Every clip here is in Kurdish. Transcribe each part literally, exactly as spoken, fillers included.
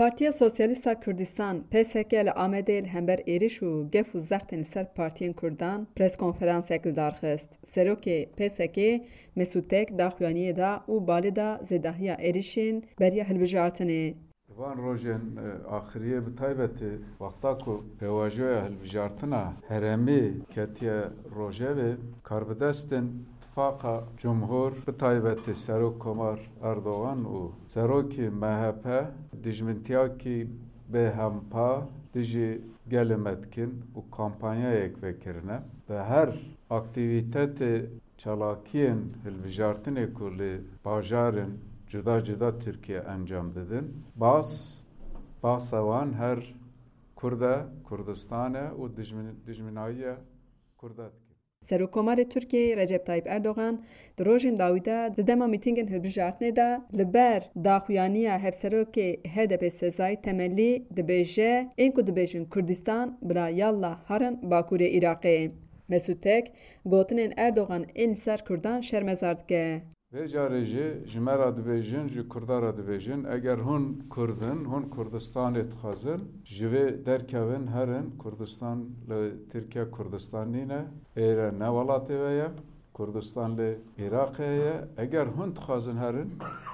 Partiya Sosyalîst a Kurdistan, P S K, li Amedê li hember êriş û gef û zextên li ser partiyên Kurdan preskonferansek li dar xist. Serokê P S K, Mesûd Tek, daxuyaniyê da û balê da zêdahiya êrişên beriya hilbijartinê. Van rojên, e, axiriyê, bi taybetî wexta ku pêvajoya hilbijartina herêmî ketiye rojevê, karbidestên Tifaqa Cumhur, bi taybetî Serok Komar Erdogan û Serokê M H P, dijmintiyakî bêhempa dijî gelê me dikin û kampanyayek vekirine. Bi her aktîvîtetê çalakiyên hilbijartinê ku li bajarên cuda cuda Tirkiye encam didin, bas, basa wan her Kurd e, Kurdistan e û dijmin-, dijminayiya Kurda dike. Serokkomarê Tirkiyeyê Recep Tayyip Erdogan di rojên dawî de di dema mîtîngên hilbijartinê de li ber daxuyaniya hevserokê H D P Sezai Temelî dibêje, ên ku dibêjin Kurdistan bila yallah herin Bakurê Iraqê. Mesûd Tek gotinên Erdogan ên li ser Kurdan şermezar dike. Vê carê jî ji me re dibêjin, ji Kurda re dibêjin, eger hûn Kurd in, hûn Kurdistanê dixwazin, ji vê derkevin herin, Kurdistan li Tirkiye Kurdistan nîne, êre ne welatê we ye, Kurdistan li Iraqê ye. Eger hûn dixwazin herin,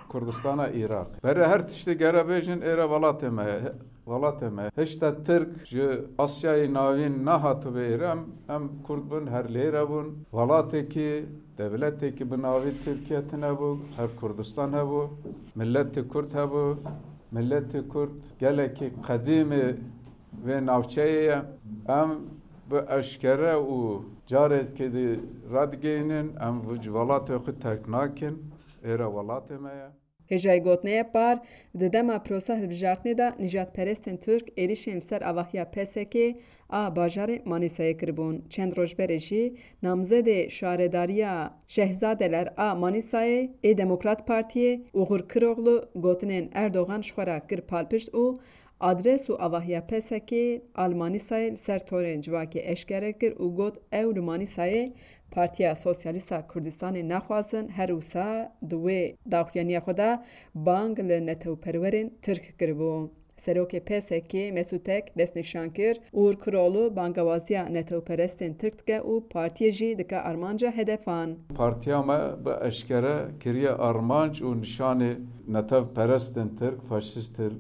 Kurdistana Iraqê. Berê her tiştê gere bêjin, êre welatê me ye. Welatê me. Hişta Tirk ji Asyayê Navîn nehatibû êre, em, em Kurd bûn, her lêre bûn. Welatekî, dewletekî bi navî Tirkiye tune bû, her Kurdistan hebû, miletê Kurd hebû. Miletê Kurd gelekî qedîmê vê navçeyê ye. Em bi eşkere û carekê dî radigihînin, em ji welatê xwe terk nakin, êre welatê me ye. Hêjayî gotinê ye, par di dema prosa hilbijartinê de nîjadperestên Tirk êrişên li ser avahiya P S K a bajarê Manîsayê kiribûn. Çend roj berê jî namzedê şaredariya Şehzadeler a Manîsayê ê Demokrat Partiyê Ugur Kiroglu gotinên Erdogan ji xwe re kir palpişt û adres û avahiya P S K a li Manîsayê li ser torên civakê eşkere kir û got, ew li Manîsayê Partiya Sosyalîst a Kurdistanê naxwazin, her wisa di wê daxuyaniya xwe de bang li netewperwerên Tirk kiribû. Serokê P S K Mesûd Tek destnîşan kir, Ugur Kiroglu bangewaziya netewperestên Tirk dike û partiyê jî dike armanca hedefan. Partiya me bi eşkere kiriye armanc û nîşanê netewperestên Tirk, faşîstên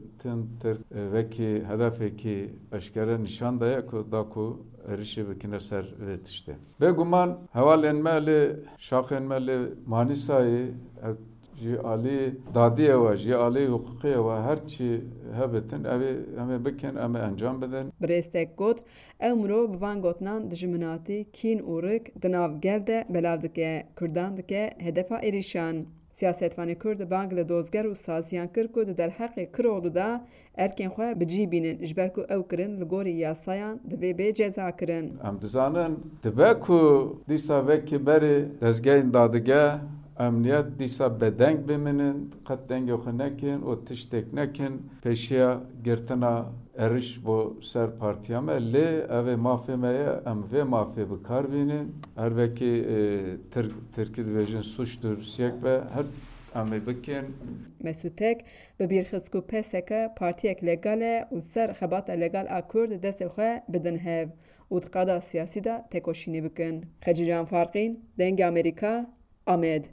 Tirk, e, wekî hedefekî eşkere nîşan daye ku da ku êrişê bikine ser vê tiştê. Bêguman hevalên me li şaxên me li Manîsayê, ev ji alî dadiyê we, ji alî hiqûqiyê we her çi hebitin, ev ê, em ê bikin, em ê encam bidin. Birêz Tek got, ew mirov bi van gotinan dijminatî, kîn û rik di nav gel de belav dike, Kurdan dike hedefa êrişan. Siyasetvanê Kurd bang li dozger û saziyan kir ku di derheqê Kiroglu de erkên xwe bi cî bînin, ji ber ku ew kirin li gorî yasayan divê bê cezakirin. Em dizanin, dibe ku dîsa vekî berê dezgehên dadige, emniyet dîsa bedeng bimînin, qet dengê xwe nekin û tiştek nekin, pêşiya girtina êriş bo ser partiya me. Lê ev ê mafê me ye, em vê mafê bi kar bînin. Her wekî, e, Tirk-, Tirkî dibêjin suçtur, siyek be, her em ê bikin. Mesûd Tek bi bîr xist ku P S K partiyek legal e û ser xebata legal a Kurd destê xwe bidin hev û di qada siyasî de tekoşînê bikin. Xecîcan Farqîn, Dengê Amerîka, Amed.